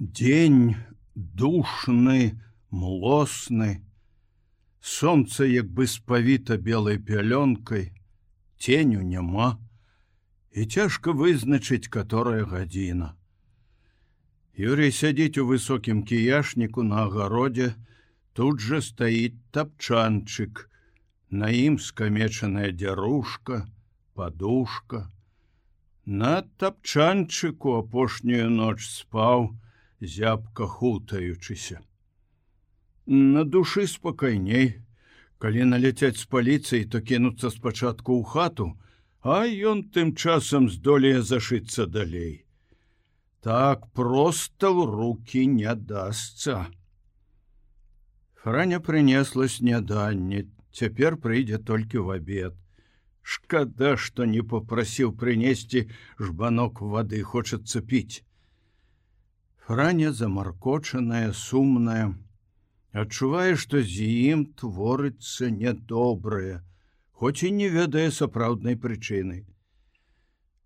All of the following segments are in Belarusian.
Дзень душны, млосны, сонца як бы спавіта белай пялёнкай, ценю няма, і цяжка вызначыць, которая гадзіна. Юрий сядзіць у высокім кіяшніку на агародзе, тут жа стаіць тапчанчык, на ім скамечаная дзярушка, падушка. На тапчанчыку апошнюю ноч спаў, зябка хутаючыся. На душы спакайней, калі наляцяць з паліцыі, то кінуцца спачатку ў хату, а ён тым часам здолее зашыцца далей. Так проста ў рукі не дасца. Франя прынесла сняданне, цяпер прыйдзе толькі в абед. Шкада, што не попрасіў прынесці жбанок вады, хочацца піць. Франя замаркочаная, сумная, адчувае, што з ім творыцца нядобрае, хоць і не ведае сапраўднай прычыны.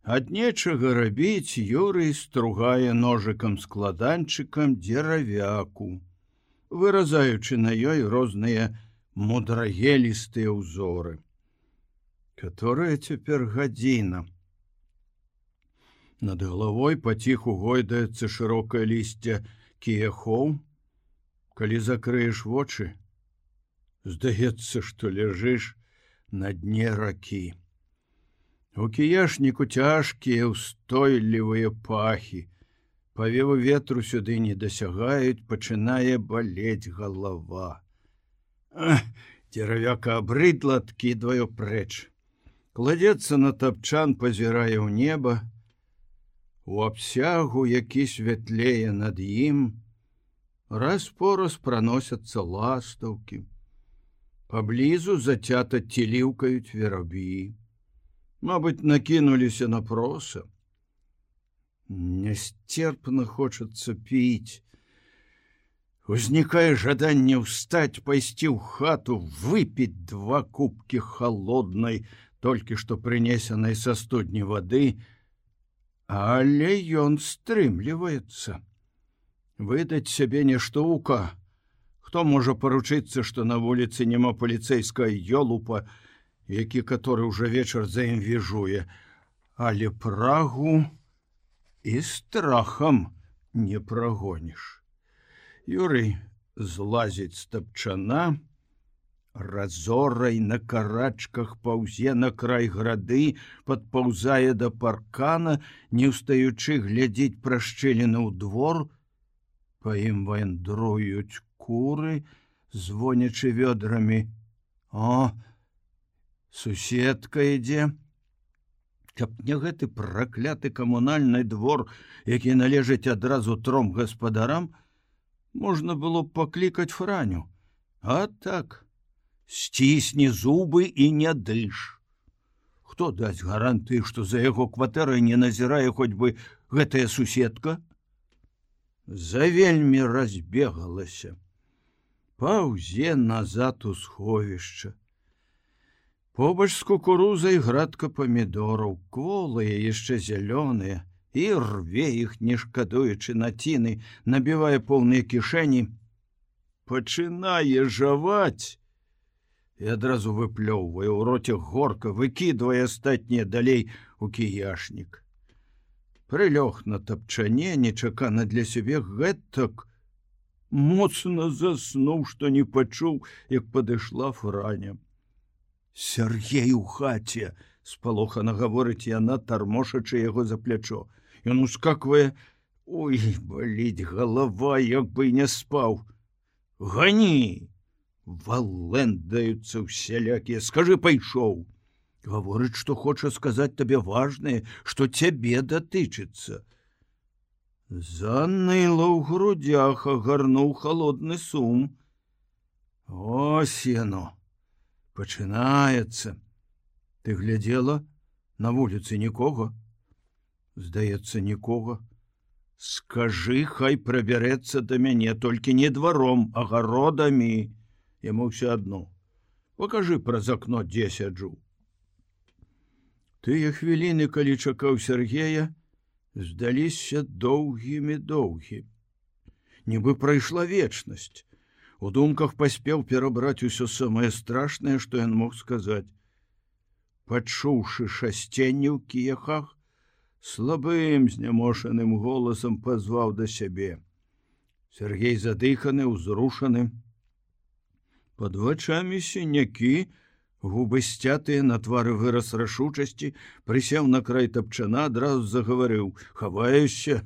Ад нечага рабіць Юрый стругае ножыкам-складанчыкам дзеравяку, выразаючы на ёй розныя мудрагелістыя ўзоры. Которая цяпер гадзіна. Над галавой паціху гойдаецца шырокае лісце кіяхоў. Калі закрыеш вочы, здаецца, што ляжыш на дне ракі. У кіяшніку цяжкія, устойлівыя пахі. Павевы ветру сюды не дасягаюць, пачынае балець галава. Дзеравяка абрыдла, адкідваю прэч. Кладзецца на тапчан, пазірае ў неба. У абсягу, які святлее над ім, раз-пораз праносяцца ластаўкі. Паблізу зацята ціліўкаюць вераб'і. Мабыць, накінуліся на проса. Нясцерпна хочацца піць. Узнікае жаданне ўстаць, пайсці ў хату, выпіць 2 кубкі халоднай, толькі што прынесенай са студні вады, але ён стрымліваецца. Выдаць сябе нешта ўка. Хто можа паручыцца, што на вуліцы няма паліцэйская ёлупа, які каторы ўжо вечар за ім віжуе, але прагу і страхам не прагоніш. Юрый злазіць з тапчана, разорай на карачках паўзе на край грады, падпаўзае да паркана, не ўстаючы глядзіць прашчэлены ў двор. Па ім вандруюць куры, звонячы вёдрамі. О, суседка ідзе. Каб не гэты пракляты камунальны двор, які належыць адразу 3 гаспадарам, можна было б паклікаць Франю. А так, сцісні зубы і не дыш. Хто дасць гарантыі, што за яго кватэрай не назірае хоць бы гэтая суседка? Завельмі разбегалася. Паўзе назад у сховішча. Побач з кукурузай градка памідораў, кволыя, яшчэ зялёныя, і рве іх, не шкадуючы націны, набівае поўныя кішэні. Пачынае жаваць і адразу выплёўвае ў роце горка, выкідвае астатнія далей у кіяшнік. Прылёг на тапчане, нечакана для сябе, гэтак моцна заснуў, што не пачуў, як падышла Франя. Сяргей у хаце, спалохана гаворыць яна, тармошачы яго за плячо. Ён ускаквае. Ой, баліць галава, як бы і не спаў. Гані! Валэндаюцца ўсялякія. Скажы, пайшоў. Гаворыць, што хоча сказаць табе важнае, што цябе датычыцца. Заныла ў грудях, агарнуў халодны сум. Ось яно. Пачынаецца. Ты глядзела? На вуліцы нікога? Здаецца, нікога. Скажы, хай прабярэцца да мяне, толькі не дваром, а гародамі. Яму ўсё адно. Пакажы праз акно, дзе сяджу. Тыя хвіліны, калі чакаў Сергея, здаліся доўгімі. нібы прайшла вечнасць. У думках паспеў перабраць усё самае страшнае, што ён мог сказаць. Пачуўшы шасценне ў кіяхах, слабым знямошаным голасам пазваў да сябе. Сергей задыханы, узрушаны. Пад вачамі сінякі, губы сцятыя, на твары выраз рашучасці, прысеў на край тапчана, адразу загаварыў: «Хаваешся?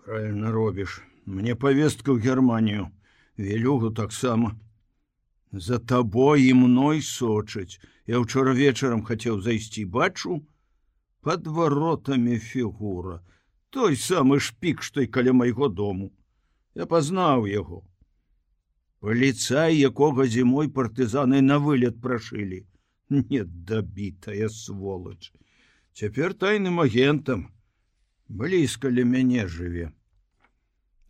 Правильно робіш. Мне павестка ў Германію. Велюгу таксама. За табой і мной сочаць. Я ўчора вечарам хацеў зайсці, бачу, пад варотамі фігура. Той самы шпік, што і каля майго дому. Я пазнаў яго. Паліцай, якога зімой партызаны на вылет прашылі. Недабітая сволач. Цяпер тайным агентам. Блізка ля мяне жыве».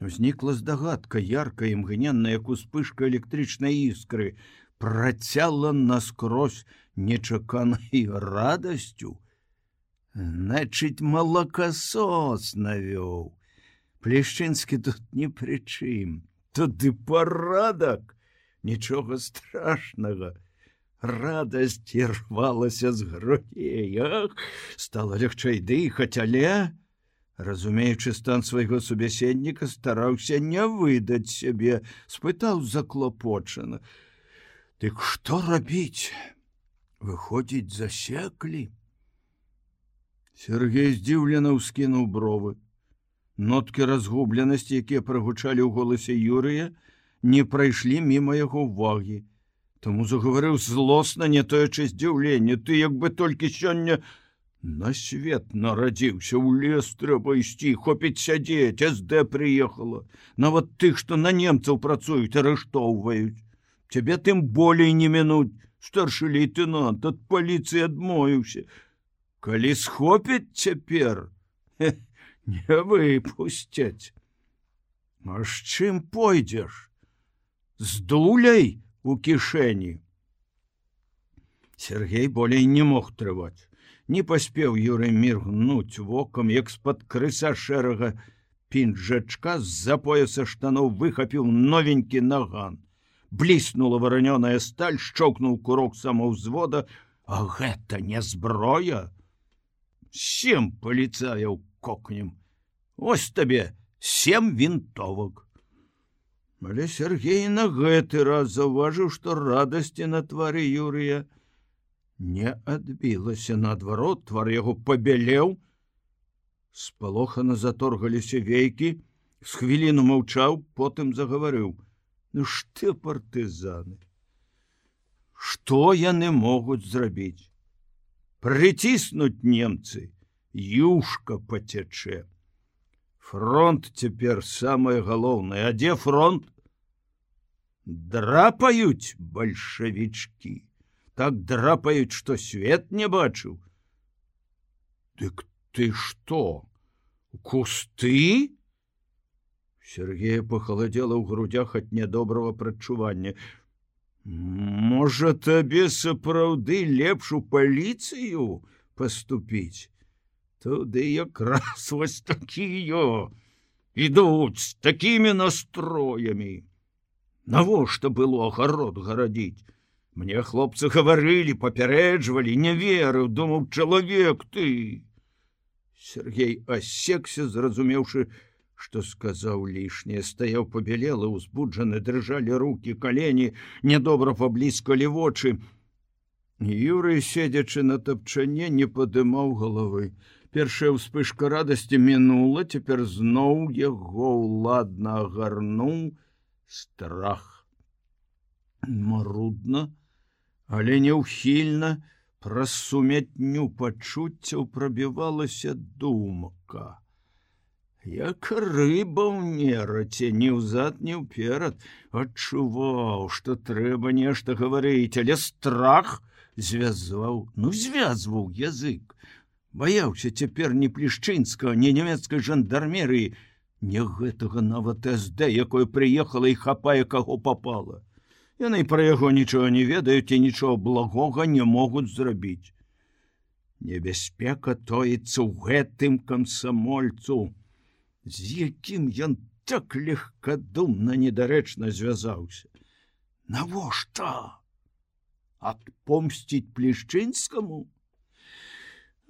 Узнікла здагадка, яркая, імгненная, як успышка электрычнай іскры, працяла наскрозь нечаканай радасцю. Значыць, малакасос навёў. Плешчынскі тут ні пры чым. Туды парадак, нічога страшнага. Радасць ірвалася з грудзей. Стала лягчэй дыхаць, але, разумеючы стан свайго субяседніка, стараўся не выдаць сябе, спытаў заклапочана: «Дык што рабіць? Выходзіць, засеклі?» Сергей здзіўлена ўскінуў бровы. Ноткі разгубленасці, якія прагучалі ў голасе Юрыя, не прайшлі міма яго ўвагі. Таму загаварыў злосна, не тоячы здзіўленне: «Ты як бы толькі сёння на свет нарадзіўся, ў лес трэба ісці, хопіць сядзець, СД прыехала. Нават тых, што на немцаў працуюць, арыштоўваюць. Цябе тым болей не мінуць, старшы лейтенант, ад паліцыі адмовіўся. Калі схопяць цяпер, не выпусцяць. А з чым пойдзеш? З дуляй у кішэні?» Сергей болей не мог трываць. Не паспеў Юрый міргнуць вокам, як з-пад крыса шэрага пінжачка з-за пояса штаноў выхапіў новенькі наган. Бліснула варанёная сталь, шчоўкнуў курок самаўзвода. А гэта не зброя? 7 паліцаяў кокнем. Ось табе 7 вінтовак. Але Сергей на гэты раз заўважыў, што радасці на твары Юрыя не адбілася. Наадварот, твар яго пабялеў. Спалохана заторгаліся вейкі. З хвіліну маўчаў, потым загаварыў: «Ну што партызаны? Што яны могуць зрабіць? Прыціснуць немцы, юшка пацячэ. Фронт цяпер самае галоўнае. А дзе фронт? Драпаюць бальшавічкі. Так драпаюць, што свет не бачыў. Дык ты што? Кусты?» Сергея пахаладзела ў грудях ад нядобрага прадчування. «Можа, табе сапраўды лепш у паліцыю паступіць? Туды якраз вось такія ідуць з такімі настроямі. Навошта было агарод гарадзіць? Мне хлопцы гаварылі, папярэджвалі, не верыў, думаў, чалавек ты». Сергей асекся, зразумеўшы, што сказаў лішняе. Стаяў пабялелы, узбуджаны, дрыжалі рукі, калені, нядобра пабліскалі вочы. Юрый, седзячы на тапчане, не падымаў галавы. Першая ўспышка радасці мінула, цяпер зноў яго ўладна агарнуў страх. Марудна, але неўхільна, праз сумятню пачуццяў прабівалася думка. Як рыба ў нераце, ні ўзад, ні ўперад. Адчуваў, што трэба нешта гаварыць, але страх звязваў язык. Баяўся цяпер ні плешчынскага, ні нямецкай жандармерыі, ні гэтага нават СД, якое прыехала і хапае каго папала. Яны пра яго нічога не ведаюць і нічога благога не могуць зрабіць. Небяспека тоіцца ў гэтым камсамольцу, з якім ён так легкадумна недарэчна звязаўся. Навошта? Адпомсціць Плішчынскаму?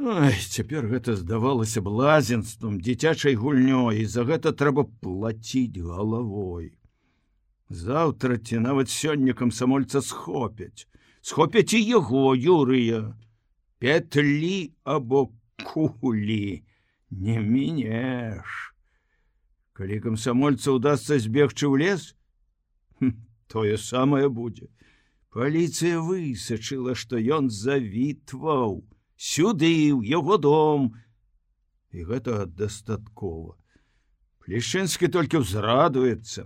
Ой, цяпер гэта здавалася б лазенствам, дзіцячай гульнёй, і за гэта трэба плаціць галавой. Заўтра ці нават сёння камсамольца схопяць. Схопяць і яго, Юрыя. Петлі або кулі не мінеш. Калі камсамольца ўдасца збегчы ў лес, тое самае будзе. Паліцыя высачыла, што ён завітваў сюды, ў яго дом. І гэтага дастаткова. Плішчынскі толькі ўзрадуецца.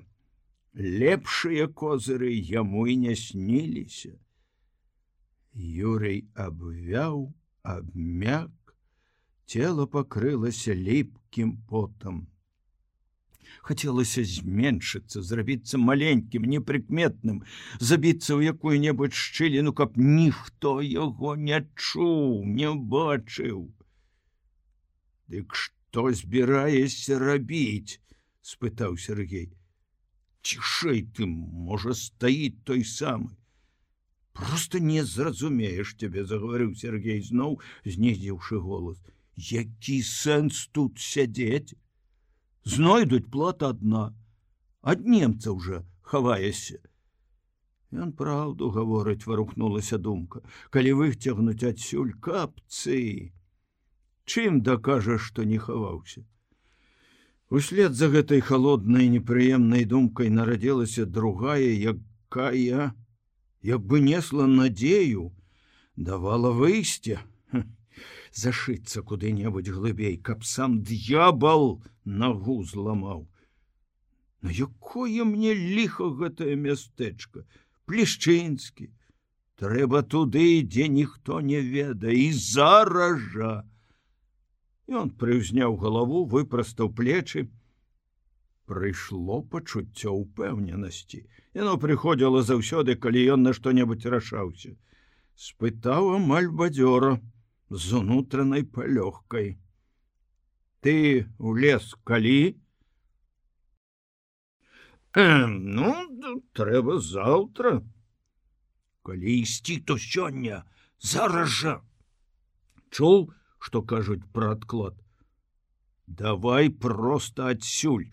Лепшыя козыры яму і не сніліся. Юрый абвяў, абмяк, цела пакрылася ліпкім потам. Хацелася зменшыцца, зрабіцца маленькім, непрыкметным, забіцца ў якую-небудзь шчыліну, каб ніхто яго не чуў, не бачыў. Дык што збіраешся рабіць? — спытаў Сергей. Цішэй ты, можа, стаіць той самы. Просто не зразумееш цябе, — загаварыў Сергей зноў, знізіўшы голас. Які сэнс тут сядзець? Знойдуць плата адна. Ад немцаў жа хаваешся. Ён праўду гаворыць, — варухнулася думка. Калі выцягнуць адсюль капцы, чым дакажаш, што не хаваўся? Услед за гэтай халоднай непрыемнай думкай нарадзілася другая, якая, як бы несла надзею, давала выйсце. Зашыцца куды-небудзь глыбей, каб сам д'ябал нагу зламаў. На якое мне ліха гэтае мястэчка? Плішчынскі. Трэба туды, дзе ніхто не ведае, і зараз жа. Ён прыўзняў галаву, выпрастаў плечы. Прыйшло пачуццё ўпэўненасці. Яно прыходзіла заўсёды, калі ён на што-небудзь рашаўся. Спытаў амаль бадзёра, з унутранай палёгкай. Ты ў лес калі? Ну, трэба заўтра. Калі ісці, то сёння, зараз жа. Чуў, што кажуць пра адклад? Давай проста адсюль.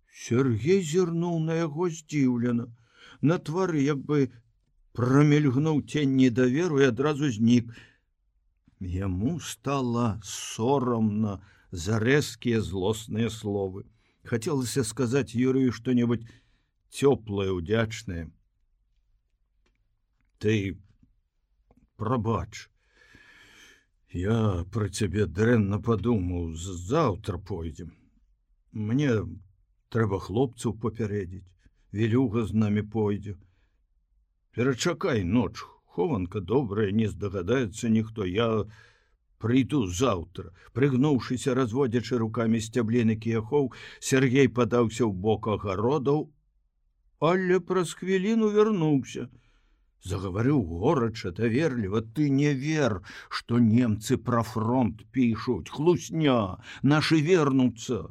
Сергей зірнуў на яго здзіўлена. На твары як бы прамільгнуў цень недаверу і адразу знік. Яму стала сорамна за рэзкія злосныя словы. Хацелася сказаць Юрыю што-небудзь цёплае, удзячнае. Ты прабач. Я пра цябе дрэнна падумаў, заўтра пойдзем. Мне трэба хлопцаў папярэдзіць. Вілюга з намі пойдзе. Перачакай ноч, хованка добрая, не здагадаецца ніхто. Я прыйду заўтра. Прыгнуўшыся, разводзячы рукамі сцябліны кіяхоў, Сергей падаўся ў бок агародаў, але праз хвіліну вярнуўся. Загаварыў горача, даверліва. Ты не вер, што немцы пра фронт пішуць. Хлусня, нашы вернуцца.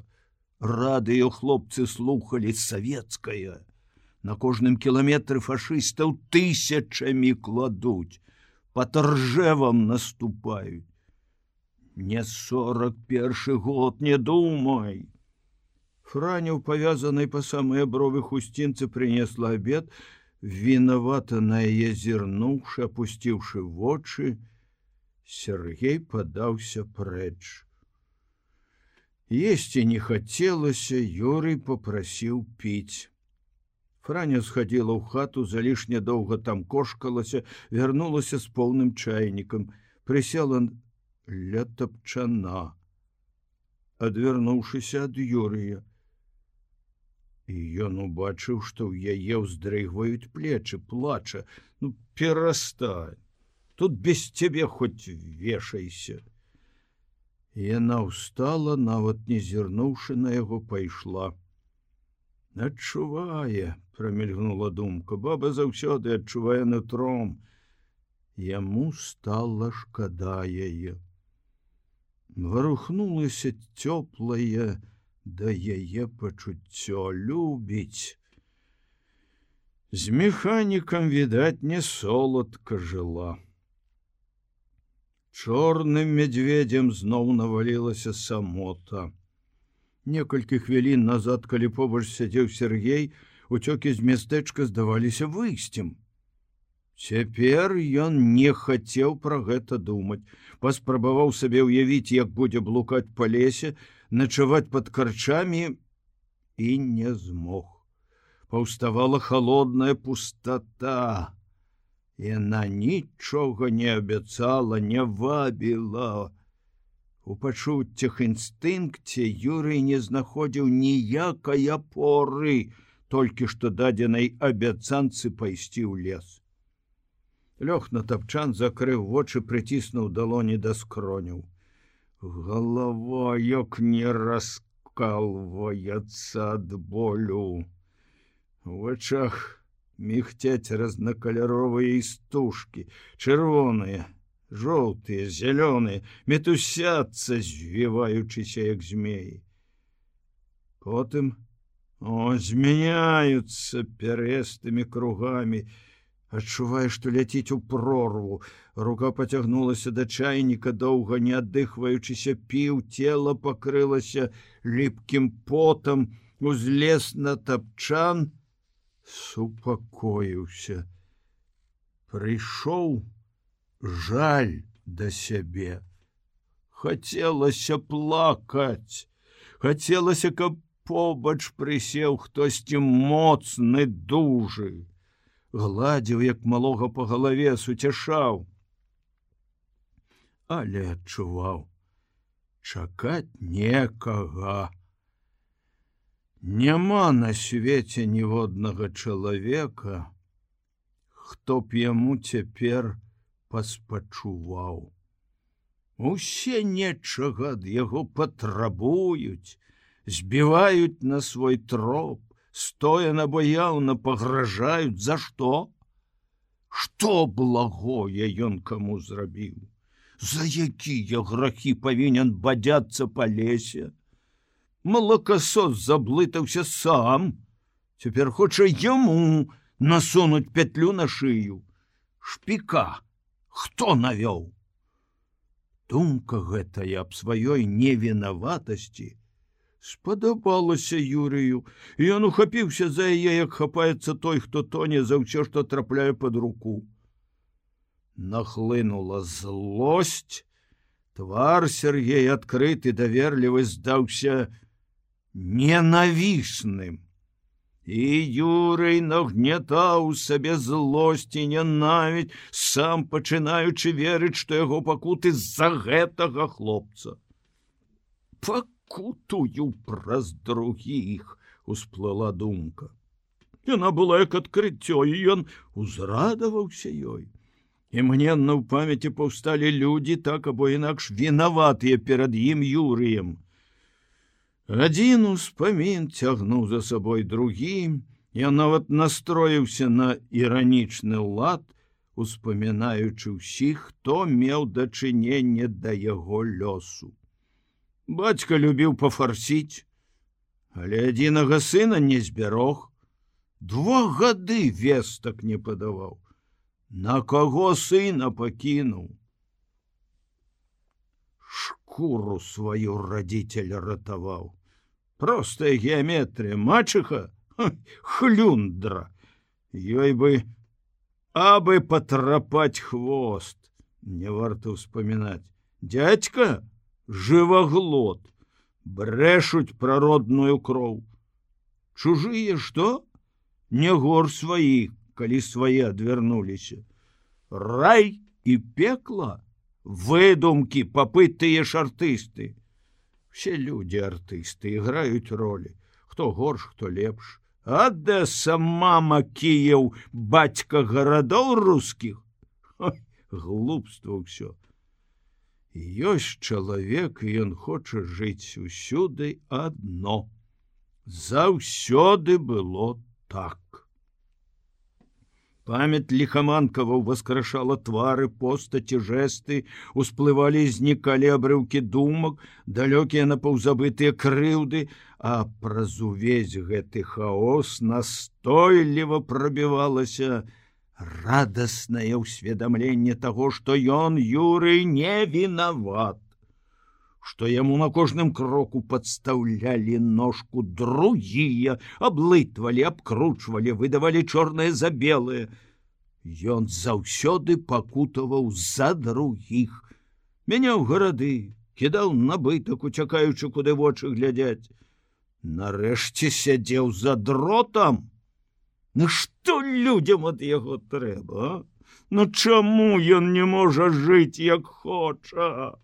Радыё хлопцы слухалі савецкае. На кожным кіламетры фашыстаў тысячамі кладуць. Па Ржевам наступаюць. Не 41 год, не думай. Франя ў павязанай па самыя бровы хусцінцы прынесла абед, вінавата на яе зірнуўшы, апусціўшы вочы, Сергей падаўся прэч. Есці не хацелася, Юрый попрасіў піць. Франя схадзіла ў хату, залішне доўга там кошкалася, вярнулася з поўным чайнікам, прысела ля тапчана, адвярнуўшыся ад Юрыя. І ён убачыў, што ў яе ўздрыгваюць плечы, плача. Ну, перастань, тут без цябе хоць вешайся. Яна ўстала, нават не зірнуўшы на яго, пайшла. Адчувае, прамільгнула думка, баба заўсёды адчувае нутром. Яму стала шкада яе. Варухнулася цёплая, да яе пачуццё любіць. З механікам, відаць, не соладка жыла. Чорным мядзведзем зноў навалілася самота. Некалькі хвілін назад, калі побач сядзеў Сергей, уцёкі з мястэчка здаваліся выйсцем. Цяпер ён не хацеў пра гэта думаць. Паспрабаваў сабе ўявіць, як будзе блукаць па лесе, начаваць пад карчамі і не змог. Паўставала халодная пустата. Яна нічога не абяцала, не вабіла. У пачуццях інстынкце Юрый не знаходзіў ніякай апоры, толькі што дадзенай абяцанцы пайсці ў лес. Лёг на тапчан, закрыў вочы, прыціснуў далоні да скроняў. Галава як не раскалваецца ад болю. У вачах мігцяць разнакаляровыя істужкі, чырвоныя, жоўтыя, зялёныя, мітусяцца, звіваючыся як змеі. Потым змяняюцца пярэстымі кругамі. Адчувае, што ляціць у прорву. Рука пацягнулася да чайніка, доўга не аддыхваючыся піў, цела пакрылася ліпкім потам, узлез на тапчан, супакоіўся. Прыйшоў жаль да сябе. Хацелася плакаць. Хацелася, каб побач прысеў хтосьці моцны, дужы. Гладзіў, як малога па галаве, суцяшаў. Але адчуваў, чакаць некага. Няма на свеце ніводнага чалавека, хто б яму цяпер паспачуваў. Усе нечага ад яго патрабуюць, збіваюць на свой троп, стоя набаяўна пагражаюць. За што? Што благое ён каму зрабіў? За якія грахі павінен бадзяцца па лесе? Малакасос заблытаўся сам. Цяпер хоча яму насунуць петлю на шыю. Шпіка хто навёў? Думка гэтая аб сваёй невінаватасці спадабалася Юрыю, і ён ухапіўся за яе, як хапаецца той, хто тоне за ўсё, што трапляе пад руку. Нахлынула злосць. Твар Сергей, адкрыты, даверлівы, здаўся ненавісным. І Юрый нагнятаў сабе злосць і нянавідзь, сам пачынаючы верыць, што яго пакуты з-за гэтага хлопца. Пакутую праз другіх, усплыла думка. Яна была як адкрыццё, і ён узрадаваўся ёй. Імгненна ў памяці паўсталі людзі, так або інакш вінаватыя перад ім Юрыем. Адзін успамін цягнуў за сабой другі, я нават настроіўся на іранічны лад, успамінаючы ўсіх, хто меў дачыненне да яго лёсу. Бацька любіў пафарсіць, але адзінага сына не збярог. 2 гады вестак не падаваў. На каго сына пакінуў? Шкуру сваю радзіцель ратаваў. Простая геаметрія, мачыха, хлюндра. Ёй бы абы патрапаць хвост. Не варта ўспамінаць. Дядька жываглот, брэшуць пра родную кроў. Чужыя што? Не гор сваіх, калі свае адвярнуліся. Рай і пекла? Выдумкі, папытыя ж артысты. Все людзі артысты, іграюць ролі. Хто горш, хто лепш. Адэса, мама, Кіеў, бацька гарадоў рускіх. Глупства ўсё. Ёсць чалавек, і ён хоча жыць усюды адно. Заўсёды было так. Памяць ліхаманкава ўваскрашала твары, постаці, жэсты, усплывалі і знікалі абрыўкі думак, далёкія напаўзабытыя крыўды, а праз увесь гэты хаос настойліва прабівалася радаснае ўсведамленне таго, што ён, Юрый, не вінават, што яму на кожным кроку падстаўлялі ножку другія, аблытвалі, абкручвалі, выдавалі чорнае за белае. Ён заўсёды пакутаваў за другіх, мяняў гарады, кідаў набытак, уцякаючы, куды вочы глядзяць. Нарэшце сядзеў за дротам. Ну што людзям ад яго трэба, а? Ну чаму ён не можа жыць, як хоча?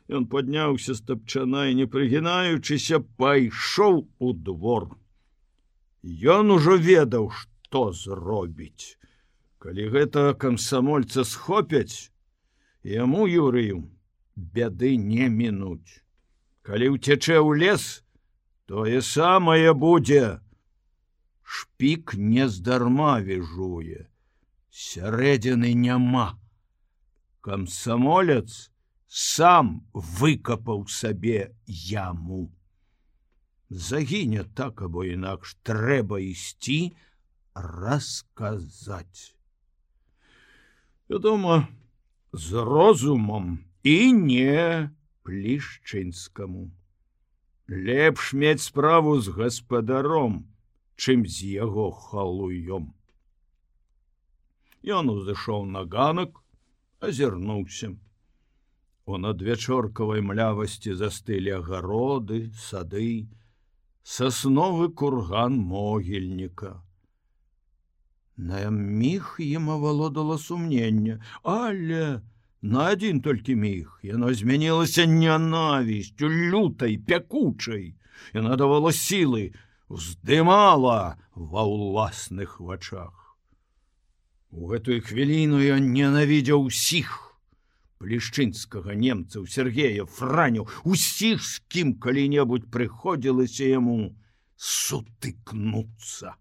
Ён падняўся з тапчана і, не прыгінаючыся, пайшоў у двор. Ён ужо ведаў, што зробіць. Калі гэта камсамольца схопяць, яму, Юрыю, бяды не мінуць. Калі ўцячэ ў лес, тое самае будзе. Шпік нездарма віжуе, сярэдзіны няма. Камсамолец сам выкапаў сабе яму. Загіне так або інакш, трэба ісці расказаць. Вядома, з розумам і не Плішчынскаму. Лепш мець справу з гаспадаром, чым з яго халуём. Ён узышоў на ганак, азірнуўся. У надвячоркавай млявасці застылі агароды, сады, сасновы курган могільніка. На міг ім авалодала сумненне, але на адзін толькі міг яно змянілася нянавісцю, лютай, пякучай. Яна давала сілы, уздымала ва ўласных вачах. У гэтую хвіліну ён ненавідзеў усіх: Плішчынскага, немцаў, Сергея, Франю, усіх, з кім калі-небудзь прыходзілася яму сутыкнуцца.